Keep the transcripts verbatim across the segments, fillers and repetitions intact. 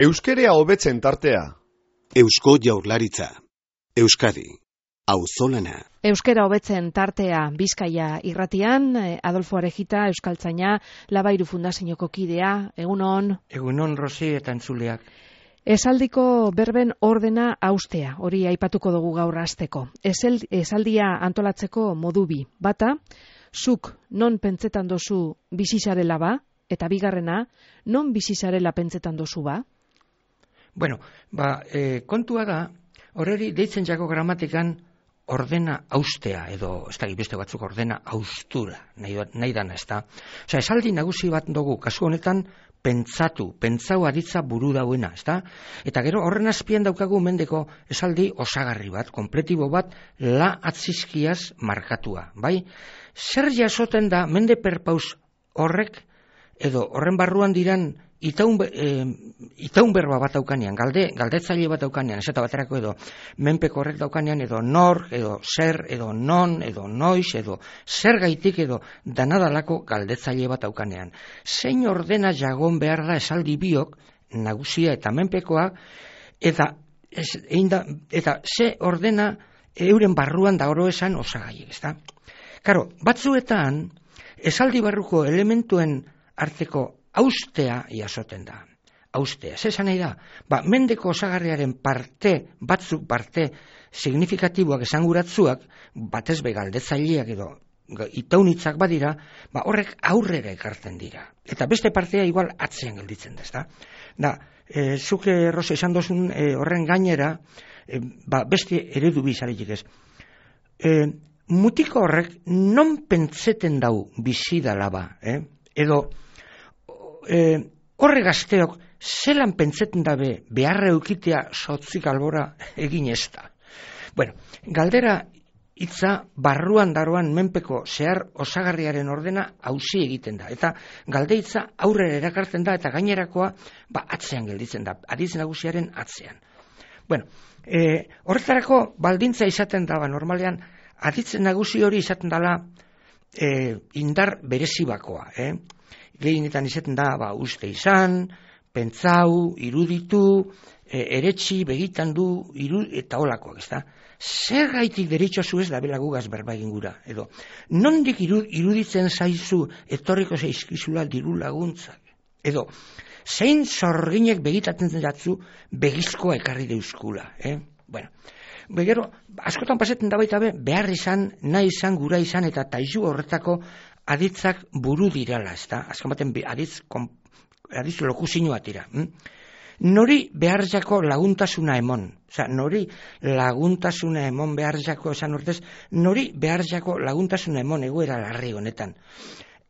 Euskerea hobetzen tartea. Eusko Jaurlaritza. Euskadi. Auzolana. Euskera hobetzen tartea Bizkaia irratian, Adolfo Arejita, euskaltzaina, Labairu Fundazioko kidea, egunon. Egunon, Rosi eta entzuleak. Esaldiko berben ordena haustea, hori aipatuko dugu gaur hasteko. Esel, esaldia antolatzeko modu bi. Bata, zuk non pentsetan dozu bizizarela ba, eta bigarrena, non bizizarela pentsetan dozu ba? Bueno, ba, e, kontua da, horreri deitzen jako gramatikan ordena haustea, edo, ez da, beste batzuk ordena haustura, nahi, nahi dana, ez da. Osa, esaldi nagusi bat dugu, kasu honetan, pentsatu, pentsau aditza buru dauena, ez da? Eta gero, horren azpian daukagu mendeko esaldi osagarri bat, kompletibo bat, la atzizkiaz markatua, bai? Zer jasoten da, mende perpaus horrek, edo horren barruan diran, Itaun, e, itaun berba bat daukanean, galde, galdetzaile bat daukanean, eseta baterako edo menpeko horrek daukanean, edo nor, edo zer, edo non, edo noiz, edo zer gaitik, edo danadalako galdetzaile bat daukanean. Zein ordena jagon behar da esaldi biok, nagusia eta menpekoa, eta, ez, einda, eta ze ordena euren barruan da oro esan osagaiek, ezta? Karo, batzuetan, esaldi barruko elementuen arteko haustea jasoten da. Haustea. Zesan nahi da? Ba, mendeko osagarriaren parte, batzuk parte, signifikatiboak esanguratzuak, batez be galdetzaileak edo itaunitzak badira, ba, horrek aurrera ekartzen dira. Eta beste partea igual atzean gelditzen da, ezta? Da, e, zuke Rosa esan dozun e, horren gainera, e, ba, beste eredu bizaretik ez. E, mutiko horrek non pentseten dau bizidala ba, eh? Edo, E, horre gazteok zelan pentseten dabe beharra eukitea sotzik albora egin ez da. Bueno, galdera hitza barruan daroan menpeko zehar osagarriaren ordena hausi egiten da. Eta galde hitza aurrera erakartzen da eta gainerakoa ba, atzean gelditzen da, aditz nagusiaren atzean. Bueno, e, horretarako baldintza izaten da, ba, normalean aditz nagusi hori izaten dela e, indar berezibakoa, eh? Gehienetan izaten da, ba, uste izan, pentsau, iruditu, e, eretsi, begitan du, iru, eta holakoak, ez da? Zer gaitik deritxozu ez da belagugaz berba egin gura, edo, nondik iru, iruditzen zaizu etorriko zaizkizula diru laguntzak, edo, zein zorginek begitatzen jatzu begizkoa ekarri deuskula, eh? Bueno, begero, askotan pasetzen da baita be, behar izan, nahi izan, gura izan, eta taizu horretako aditzak buru dirala, ez da? Azken baten aditz, aditz lokuzinoa tira. Hm? Nori behar jako laguntasuna emon. Osa, nori laguntasuna emon behar jako esan urtez, nori behar jako laguntasuna emon egoera larri honetan.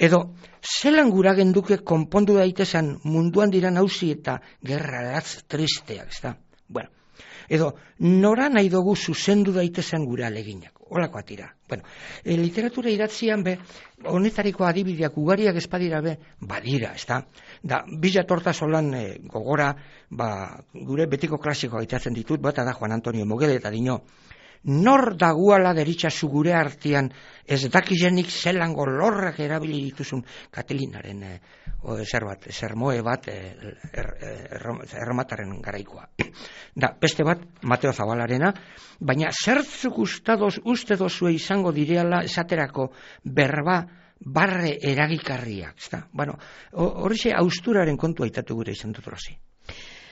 Edo, zelan gura genduke konpondu daitezan munduan diran hausi eta gerra latz tristeak, ez da? Bueno, edo, nora nahi dugu zuzendu daitezan gura aleginak. Olakoa tira. Bueno, e, literatura idatzian be, honetariko adibideak ugariak espadira be, badira, ez da? Da, bila torta solan e, gogora, ba, gure betiko klasiko gaitatzen ditut, bata da Juan Antonio Mogele eta dino, nor daguala deritxazu gure artean ez dakizenik zelango lorrak erabili dituzun Katelinaren e, o, zer bat, sermoe bat e, er, er, erromataren garaikoa. Da, beste bat, Mateo Zabalarena, baina zertzuk ustadoz, uste dozue izango direala esaterako berba barre eragikarriak. Bueno, hori austuraren kontua aitatu gure izan dut Rosi.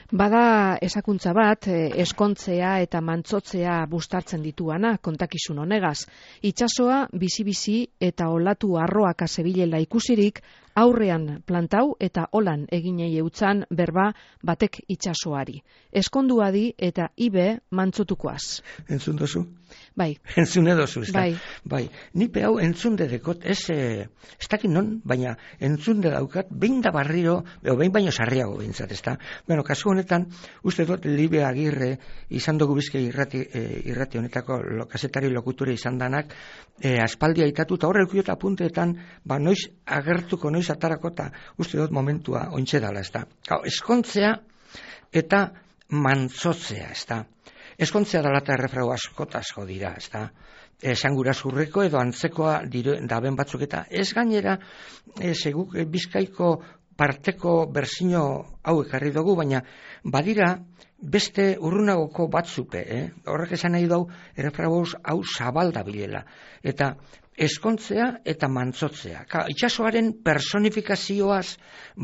Bada esakuntza bat, eskontzea eta mantzotzea bustartzen dituana, kontakizun honegaz. Itsasoa bizi-bizi eta olatu arroak azebilela ikusirik, aurrean plantau eta holan eginei eutzan berba batek itsasoari. Eskonduadi eta ibe mantzotukoaz. Entzun dozu? Bai. Entzun edozu, ez da? Bai. Bai. Nipe hau entzunde dekot, ez, eh, ez dakit non, baina entzunde daukat, behin da barriro, edo behin baino sarriago behintzat, ez da? Bueno, kasu honetan, uste dut Libe Agirre izan dugu bizke irrati, eh, irrati honetako lo, kasetari lokuture izan danak, eh, aspaldia aitatu, eta horre eukiota punteetan, ba, noiz agertuko, noiz atarako, eta uste dut momentua ointxe dala, ez da? Hau, eskontzea eta mantzotzea, ez da? Eskontzea dala eta errefrau askotazko dira, ez da? Esangura zurreko edo antzekoa dire, daben batzuk eta ez gainera, ez eguk bizkaiko parteko berzino hau ekarri dugu, baina badira beste urrunagoko batzupe, eh? Horrek esan nahi dau, errefragoz hau zabalda bilela. Eta eskontzea eta mantzotzea. Ka, itxasoaren personifikazioaz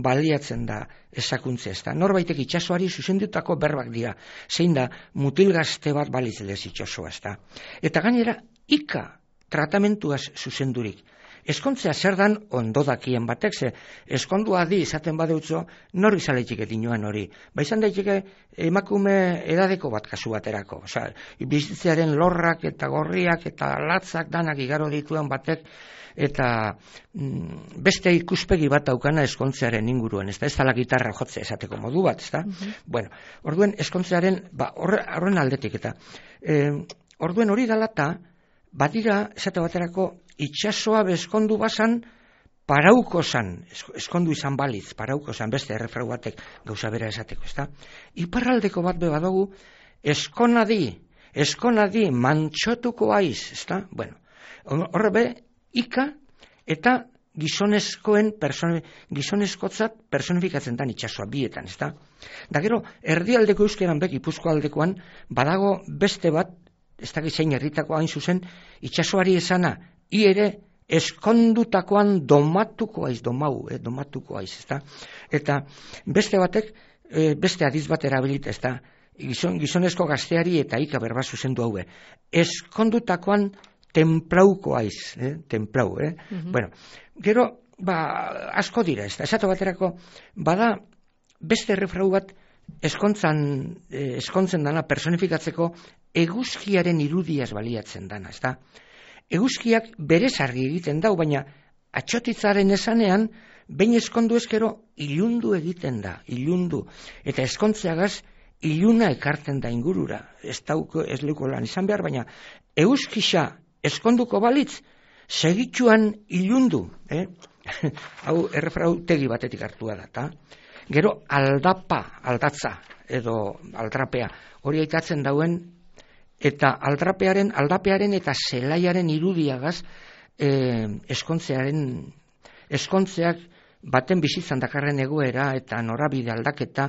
baliatzen da esakuntzea. Ez da. Norbaitek itxasoari zuzendutako berbak dira. Zein da, mutil gazte bat balitzedez itxasoa. Ez da. Eta gainera, ika tratamentuaz zuzendurik. Eskontzea zer dan ondo dakien batek, ze eskondua di izaten badeutzo, nor izaletik etinoan hori. Ba izan daiteke emakume edadeko bat kasu baterako. Osea, bizitzearen lorrak eta gorriak eta latzak danak igaro dituen batek, eta mm, beste ikuspegi bat daukana eskontzearen inguruan, ez da, ez dala gitarra jotzea esateko modu bat, ez da? Mm-hmm. Bueno, orduen eskontzearen, ba, horren aldetik, eta e, orduen hori dalata, badira, esate baterako, itxasoa bezkondu bazan, parauko zan, eskondu izan balitz, parauko zan, beste errefrau batek gauza bera esateko, ezta? Iparraldeko bat be badugu, eskonadi, eskonadi, mantxotuko aiz, ezta? Bueno, horre be, ika eta gizonezkoen, person, gizonezkotzat personifikatzen dan itxasoa bietan, ezta? Da gero, erdialdeko euskeran bek, Gipuzkoa aldekoan, badago beste bat, ez da gizein herritako hain zuzen, itxasoari esana, i ere eskondutakoan domatuko aiz, domau, eh, domatuko aiz, ezta? Eta beste batek, eh, beste adiz bat erabilit, ezta? Gizon, gizonezko gazteari eta ika berba zuzendu haue. Eskondutakoan templauko aiz, eh? Templau, eh? Mm-hmm. Bueno, gero, ba, asko dira, ezta? Esatu baterako, bada beste errefrau bat eskontzan, eh, eskontzen dana personifikatzeko eguzkiaren irudiaz baliatzen dana, ezta? Eguzkiak berez argi egiten dau, baina atxotitzaren esanean, behin eskondu ezkero ilundu egiten da, ilundu. Eta eskontzeagaz iluna ekartzen da ingurura. Ez dauko, ez leuko lan izan behar, baina eguzkisa eskonduko balitz, segitxuan ilundu. Eh? Hau errefrau tegi batetik hartua da, ta? Gero aldapa, aldatza, edo aldrapea, hori aitatzen dauen, eta aldrapearen, aldapearen eta zelaiaren irudiagaz eh, eskontzearen, eskontzeak baten bizitzan dakarren egoera eta norabide aldaketa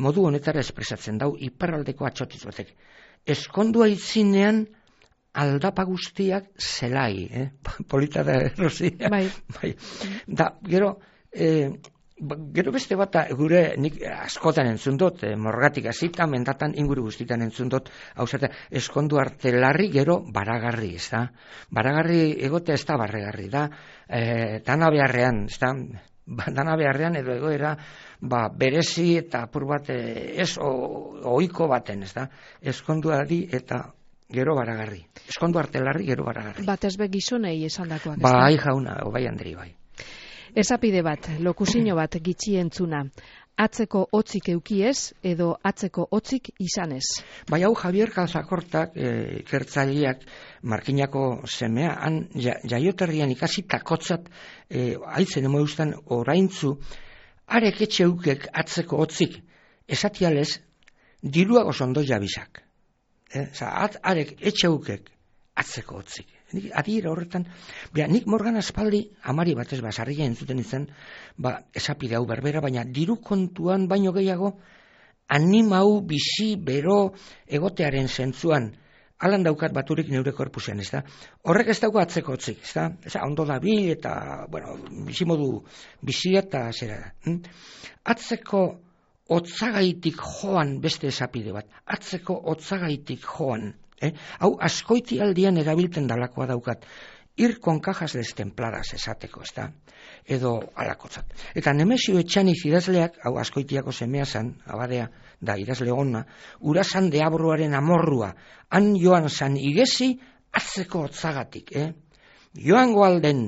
modu honetara espresatzen dau iparraldeko atxotiz batek. Eskondua itzinean aldapa guztiak zelai, eh? Polita da errozia. Bai. Bai. Da, gero, eh, gero beste bat, gure nik askotan entzun dut, eh, morgatik hasita, mendatan inguru guztitan entzun dut, hau zate, eskondu arte larri, gero baragarri, ez da? Baragarri egotea ez da barregarri, da? Eh, dana beharrean, ez da? Ba, dana beharrean edo egoera, ba, berezi eta apur bat eh, ez ohiko baten, ez da? Eskonduari eta gero baragarri. Eskondu arte larri, gero baragarri. Bat ezbe gizonei esandakoak, ez da? Bai, jauna, bai Andri, bai. Esapide bat, lokusino bat gitxi entzuna. Atzeko hotzik eukiez edo atzeko hotzik izanez. Bai hau Javier Calzakortak, e, ikertzaileak Markinako semea, han jaioterrian ikasi takotzat, e, haitzen emo eustan oraintzu, arek etxe eukek atzeko hotzik, esatialez, diruago zondo jabizak. E, at, arek etxe eukek atzeko hotzik. Adiera horretan, bera, nik Morgan aspaldi, amari batez basarria entzuten izan, ba, esapide hau berbera, baina diru kontuan baino gehiago, animau, bizi, bero, egotearen zentzuan, alan daukat baturik neure korpusean, ez da? Horrek ez dago atzeko hotzik, ez da? Ez da, ondo da bil, eta, bueno, bizimodu bizia eta zera da. Hm? Atzeko hotzagaitik joan beste esapide bat, atzeko hotzagaitik joan, Eh? Hau askoiti aldian erabilten dalakoa daukat, ir con cajas destempladas esateko, ez da? Edo alakotzat. Eta Nemesio Etxaniz idazleak, hau askoitiako semea zan, abadea da idazle ona, urasan deabroaren amorrua, han joan zan igezi atzeko hotzagatik, eh? Joango alden,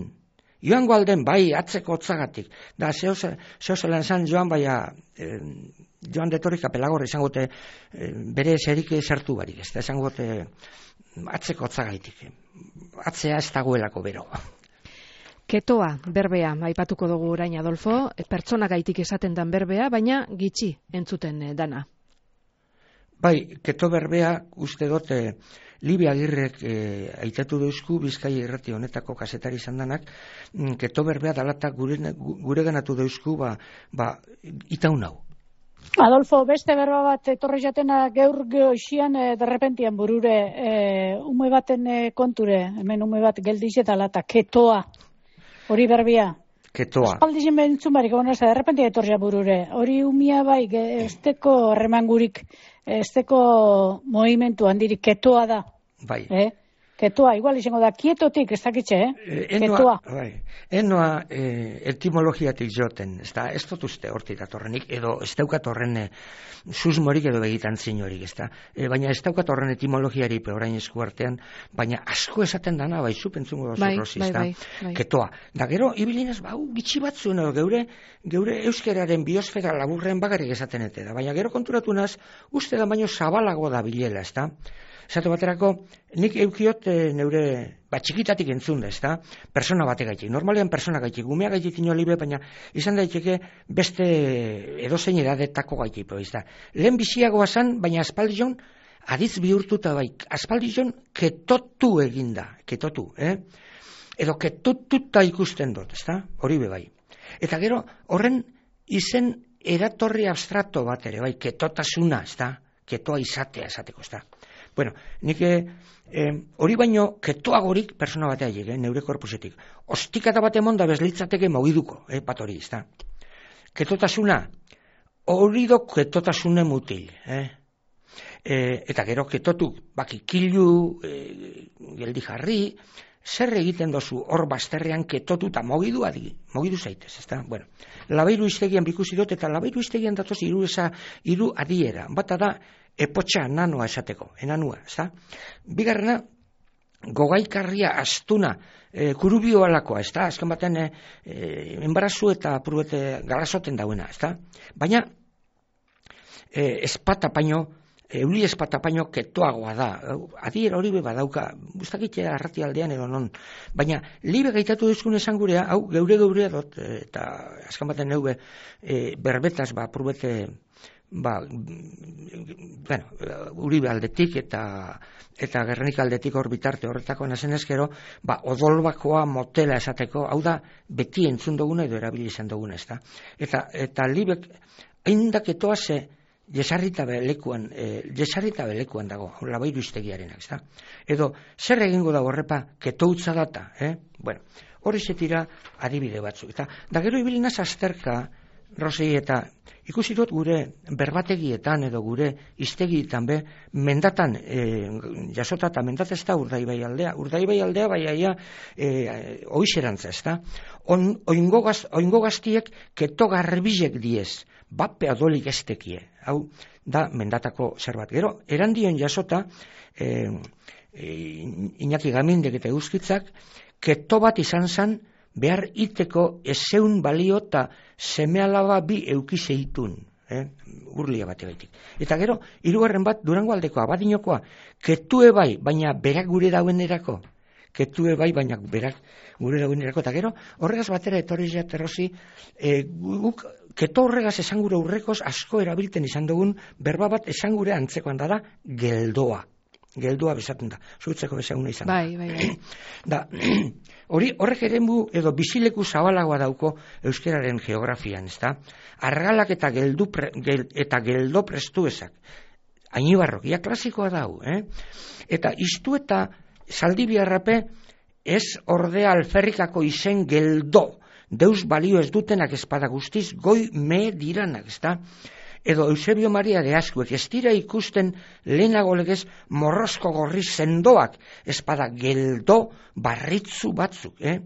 joango alden, bai, atzeko hotzagatik. Da, zehozelan zan joan, baina, eh, joan detorika pelagorra izangote eh, bere zerik sartu barik, ez da, izangote atzeko hotzagaitik. Atzea ez dagoelako bero. Ketoa, berbea, aipatuko dugu orain Adolfo, pertsona gaitik esaten dan berbea, baina gitxi entzuten dana. Bai, keto berbea uste dut e, Libi Agirrek e, aitatu deuzku Bizkaia irrati honetako kazetari izan danak, keto berbea dalata gure, gure ganatu deuzku ba, ba itaun hau. Adolfo, beste berba bat etorri jatena gaur goixian e, derrepentian burure e, ume baten e, konture, hemen ume bat geldiz eta lata, ketoa, hori berbia. Ketoa. Espaldizien bentzun barik, bueno, ez da, derrepentia etorria burure, hori umia bai, esteko remangurik, esteko movimentu handirik, ketoa da. Bai. Eh? Ketoa, igual izango da, kietotik, ez dakitxe, eh? eh Ketoa. Bai. Enoa eh, etimologiatik joten, ez da, ez dut uste hortik datorrenik, edo ez daukat horren eh, susmorik edo begitan zinorik, ez da. E, baina ez daukat horren etimologiari orain esku artean, baina asko esaten dana, bai, zu pentzungo da bai, zurrosi, bai, ez da. bai, bai. Ketoa. Da gero, ibilinez, bau, gitxi batzuen, edo, geure, geure euskeraren biosfera laburren bakarrik esaten ete da. Baina gero konturatu naz, uste da baino zabalago da bilela, ez da. Esate baterako, nik eukiot e, neure, ba, txikitatik entzun da, ez da, persona bate gaitik. Normalean persona gaitik, gumea gaitik ino libe, baina izan daiteke beste edozein edadetako gaitik, ez da. Lehen biziagoa zan, baina aspaldion, aditz bihurtuta bai, aspaldion ketotu eginda, ketotu, eh? Edo ketotuta ikusten dut, ez da, hori be bai. Eta gero, horren izen eratorri abstrakto bat ere, bai, ketotasuna, ez da, ketoa izatea esateko, ez da. Bueno, nik eh, hori baino ketoagorik persona batea llege, eh, neure korpusetik. Ostikata bat emon da bezlitzateke mogiduko, eh, bat hori, ez da. Ketotasuna, hori do ketotasune mutil, eh. E, eta gero ketotu, baki kilu, e, geldi jarri, zer egiten dozu hor bazterrean ketotu eta mogidu adi, mogidu zaitez, ez da. Bueno, labairu iztegian bikusi dut, eta labairu iztegian datoz hiru esa, hiru adiera, bata da, epotxa nanoa esateko, enanua, ez da? Bigarrena, gogaikarria astuna, e, kurubio alakoa, ez da? Azken baten, e, e, enbarazu eta purbete galasoten dauena, ez da? Baina, e, espata paino, euli espata paino ketoagoa da. Adiera hori beba dauka, guztakitea arrati aldean edo non. Baina, libe gaitatu duzkun esan gurea, hau, geure geurea dut, eta azken baten neube, e, berbetaz, ba, purbete, ba, bueno, Uribe aldetik eta eta Gernika aldetik hor bitarte horretako nazen ezkero, ba, odolbakoa motela esateko, hau da, beti entzun duguna edo erabili izan duguna, ez da. Eta, eta libek, haindak etoa ze, jesarrita belekuan, e, jesarrita belekuan dago, labairu iztegiarenak, ez da. Edo, zer egingo da horrepa, ketoutza data, eh? Bueno, hori zetira adibide batzuk. Eta, da gero ibilinaz azterka, Rosei, eta ikusi dut gure berbategietan edo gure iztegietan be, mendatan e, jasota eta mendat ez da Urdaibai aldea. Urdaibai aldea bai aia e, oixerantza, ez da. On, oingo, gaz, oingo gaztiek keto garbilek diez, bape adolik estekie. Hau da mendatako zerbait. Gero, erandion jasota, e, e, Iñaki Gamindek eta Euskitzak, keto bat izan zen, behar iteko ezeun balio eta seme-alaba bi eukizeitun, eh? Urlia bate baitik. Eta gero, hirugarren bat, Durango aldekoa, abadinokoa, ketue bai, baina berak gure dauenerako, ketue bai, baina berak gure dauenerako, eta gero, horregaz batera etorri jaterrozi, e, guk, keto horregaz esan gure urrekoz asko erabilten izan dugun, berba bat esan gure antzekoan da da, geldoa. Geldoa bezaten da, zuitzeko bezaguna izan da. Bai, bai, bai. Da, hori, horrek eremu edo bizileku zabalagoa dauko euskeraren geografian, ez da? Argalak eta geldu pre, gel, eta geldo prestu ezak. Ainibarrok, ia klasikoa dau, eh? Eta iztu eta zaldibiarrape ez ordea alferrikako izen geldo, deus balio ez dutenak espada guztiz, goi me diranak, ez da? Edo Eusebio Maria de Askuek, ez dira ikusten lehenago legez morrosko gorri sendoak, espada geldo barritzu batzuk, eh?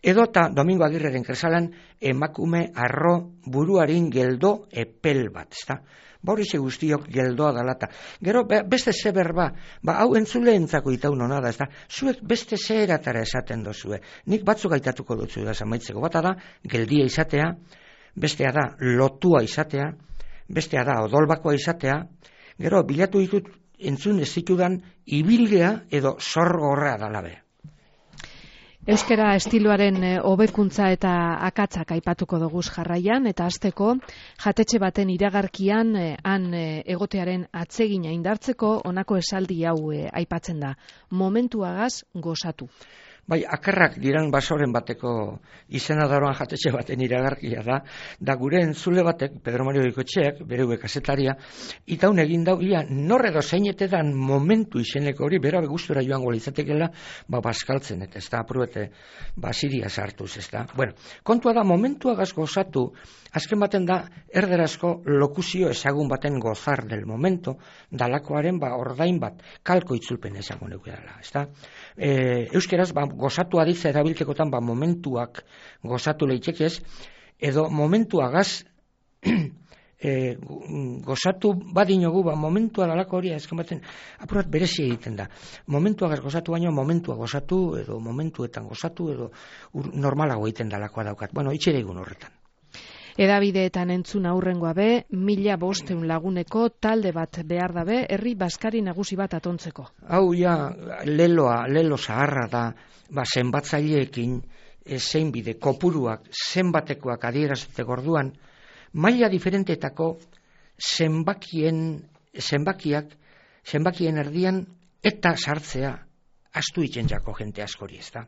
Edo eta Domingo Agirreren kresalan emakume arro buruarin geldo epel bat, ez da? Ba hori ze guztiok geldoa dalata. Gero, beste ze berba, ba hau entzuleentzako itaun hona da, ez da? Zuek beste ze eratara esaten dozue. Nik batzuk gaitatuko dutzu da zamaitzeko. Bata da, geldia izatea, bestea da, lotua izatea, bestea da, odolbakoa izatea, gero, bilatu ditut entzun ez ditudan ibilgea edo sorgorra dalabe. Euskara estiloaren hobekuntza eta akatzak aipatuko dugu jarraian, eta hasteko jatetxe baten iragarkian han egotearen atsegina indartzeko honako esaldi hau aipatzen da: momentuagaz gozatu. Bai, akarrak diran basoren bateko izena daroan jatetxe baten iragarkia da, da gure entzule batek, Pedro Mario Bikoetxeak, bere hue kasetaria, itaun egin dau, ia, norre dozeinetetan momentu izeneko hori, bera begustura joango litzatekela, ba, baskaltzen, eta ez da, aprobete, ba, siria sartuz, ez da. Bueno, kontua da, momentuagaz gozatu, azken baten da, erderazko lokuzio ezagun baten gozar del momento, dalakoaren, ba, ordain bat, kalko itzulpen ezagun eukidala, ez da. E, euskeraz, ba, gozatu aditza erabiltekotan, ba, momentuak gozatu leitekez, edo momentuagaz e, gozatu badinogu, ba, momentua dalako hori, ezken baten, apurat berezi egiten da. Momentuagaz gozatu baino, momentua gozatu, edo momentuetan gozatu, edo ur, normalago egiten dalakoa daukat. Bueno, itxere egun horretan. Edabideetan entzun aurrengoa be, mila bosteun laguneko talde bat behar dabe, herri baskari nagusi bat atontzeko. Hau ja, leloa, lelo zaharra da, ba, zenbatzaileekin, e, zein bide, kopuruak, zenbatekoak adierazteko orduan, maila diferentetako zenbakien, zenbakiak, zenbakien erdian, eta sartzea, astu itzen jako jente askori, ez da.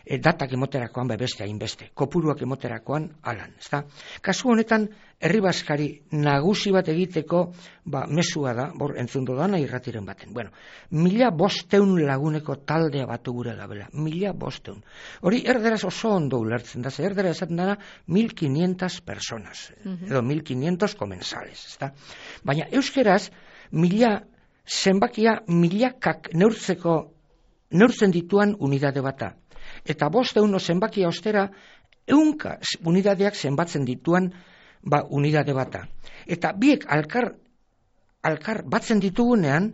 E, datak emoterakoan bebeste hainbeste, kopuruak emoterakoan alan, ezta? Kasu honetan, herri baskari nagusi bat egiteko, ba, mesua da, bor, entzundo dana irratiren baten. Bueno, mila bosteun laguneko taldea batu gure gabela, mila bosteun. Hori erderaz oso ondo ulertzen da, ze erdera esaten dara mil quinientas personas, uh-huh. edo mil quinientos komensales, ezta? Baina euskeraz, mila zenbakia milakak neurtzeko, neurtzen dituan unidade bata. Eta bosteun zenbakia ostera, eunka unidadeak zenbatzen dituan, ba, unidade bata. Eta biek alkar, alkar batzen ditugunean,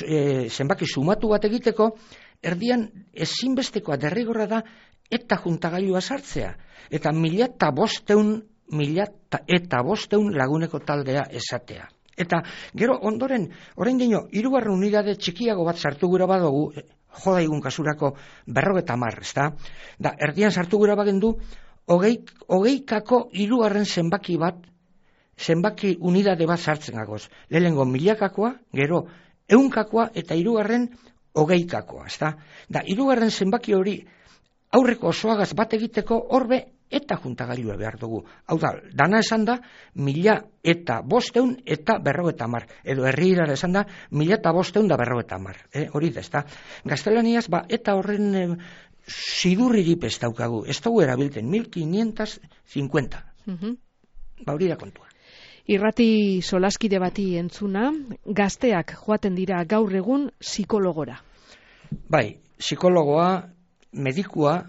e, zenbaki sumatu bat egiteko, erdian ezinbestekoa derrigorra da, eta juntagailua sartzea. Eta mila eta bosteun, mila eta bosteun laguneko taldea esatea. Eta gero ondoren, orain dino, hirugarren unidade txikiago bat sartu gura badugu, joda igun kasurako berrogeta mar, ez da? Da, erdian sartu gura bagendu, hogeik, hogeikako hirugarren zenbaki bat, zenbaki unidade bat sartzen gagoz. Lehenengo milakakoa, gero eunkakoa eta hirugarren hogeikakoa, ez da? Da, hirugarren zenbaki hori aurreko osoagaz bat egiteko horbe eta juntagailua behar dugu. Hau da, dana esan da, mila eta bosteun eta berrogeta mar. Edo herri irara esan da, mila eta bosteun da berrogeta mar. Eh? Hori da, ez da. Gaztelaniaz, ba, eta horren eh, zidurririp ez daukagu. Ez dugu erabilten, mil quinientos cincuenta. Uh-huh. Ba, hori da kontua. Irrati solaskide bati entzuna, gazteak joaten dira gaur egun psikologora. Bai, psikologoa, medikua,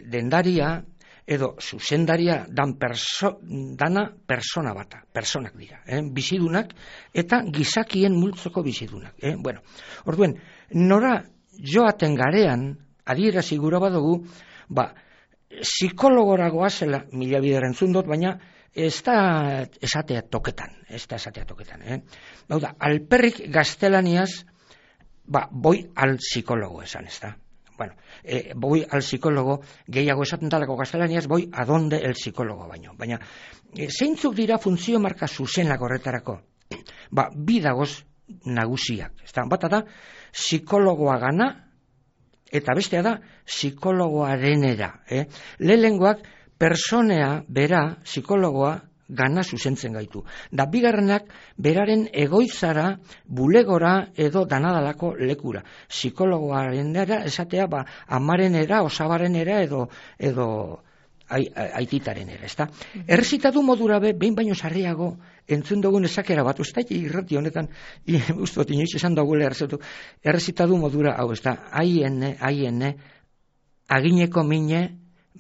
dendaria, edo zuzendaria dan perso, dana persona bata, personak dira, eh? Bizidunak eta gizakien multzoko bizidunak. Eh? Bueno, orduen, nora joaten garean, adierazi gura badugu, ba, psikologora goazela, mila bider entzun dut, baina ez da esatea toketan, ez da esatea toketan. Eh? Hau da, alperrik gaztelaniaz, ba, boi al psikologo esan, ez da. Bueno, eh, voy al psicólogo, gehiago esaten talako gaztelaniaz, voy a donde el psicólogo baino. Baina, eh, zeintzuk dira funtzio marka zuzenak horretarako? Ba, bi dagoz nagusiak. Ezta, bata da, psikologoa gana, eta bestea da, psikologoarenera. Eh? Lehengoak, personea, bera, psikologoa, gana zuzentzen gaitu. Da bigarrenak beraren egoitzara, bulegora edo danadalako lekura. Psikologoaren era, esatea, ba, amarenera, osabarenera edo, edo aititaren era, ezta? Errezitatu modura be, behin baino sarriago, entzun dugun esakera bat, usta irrati honetan, ustot inoiz esan dagoela errezitatu, errezitatu modura, hau, ezta, aiene, aiene, agineko mine,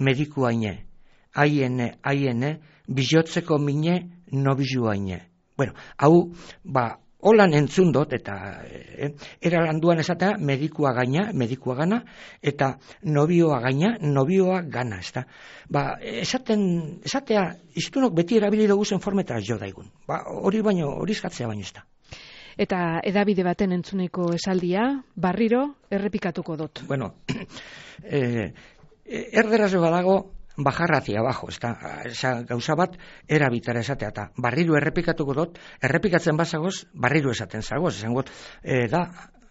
mediku aine, aiene, aiene, bizotzeko mine, nobizua ine. Bueno, hau, ba, holan entzun dut, eta eh, era landuan esatea, medikua gaina, medikua gana, eta nobioa gaina, nobioa gana, ez da. Ba, esaten, esatea, iztunok beti erabili dugu zen formetara jo daigun. Ba, hori baino, hori eskatzea baino ez da. Eta edabide baten entzuneko esaldia, barriro errepikatuko dut. Bueno, eh, erderaz badago bajar hacia abajo, ez da, gauza bat erabitara esatea, eta barriro errepikatuko dut, errepikatzen bazagoz, barriro esaten zagoz, esan got, e, da,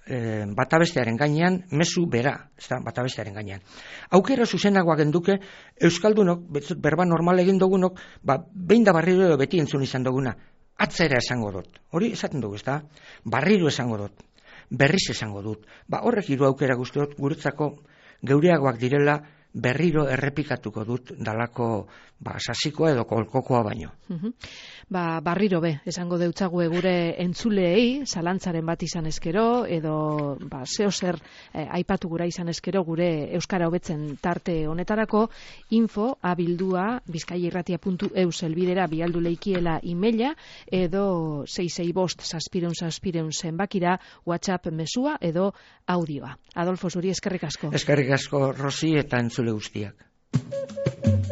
e, batabestearen gainean, mezu bera, ez da, batabestearen gainean. Aukera zuzenagoak genduke, Euskaldunok, berba normal egin dugunok, ba, behin da barriro edo beti entzun izan duguna, atzera esango dut, hori esaten dugu, ez da, barriro esango dut, berriz esango dut, ba, horrek hiru aukera guztiot, guretzako geureagoak direla, berriro errepikatuko dut dalako ba, sasikoa edo kolkokoa baino. Uh-huh. Ba, barriro be, esango deutzague gure entzuleei, zalantzaren bat izan eskero, edo ba, zeo zer eh, aipatu gura izan eskero gure Euskara hobetzen tarte honetarako, info abildua bizkaierratia puntu eus elbidera bialdu leikiela emaila, edo sei sei bost zazpireun zazpireun zenbakira WhatsApp mesua edo audioa. Adolfo, zuri eskerrik asko. Eskerrik asko, Rosi, eta entzule guztiak.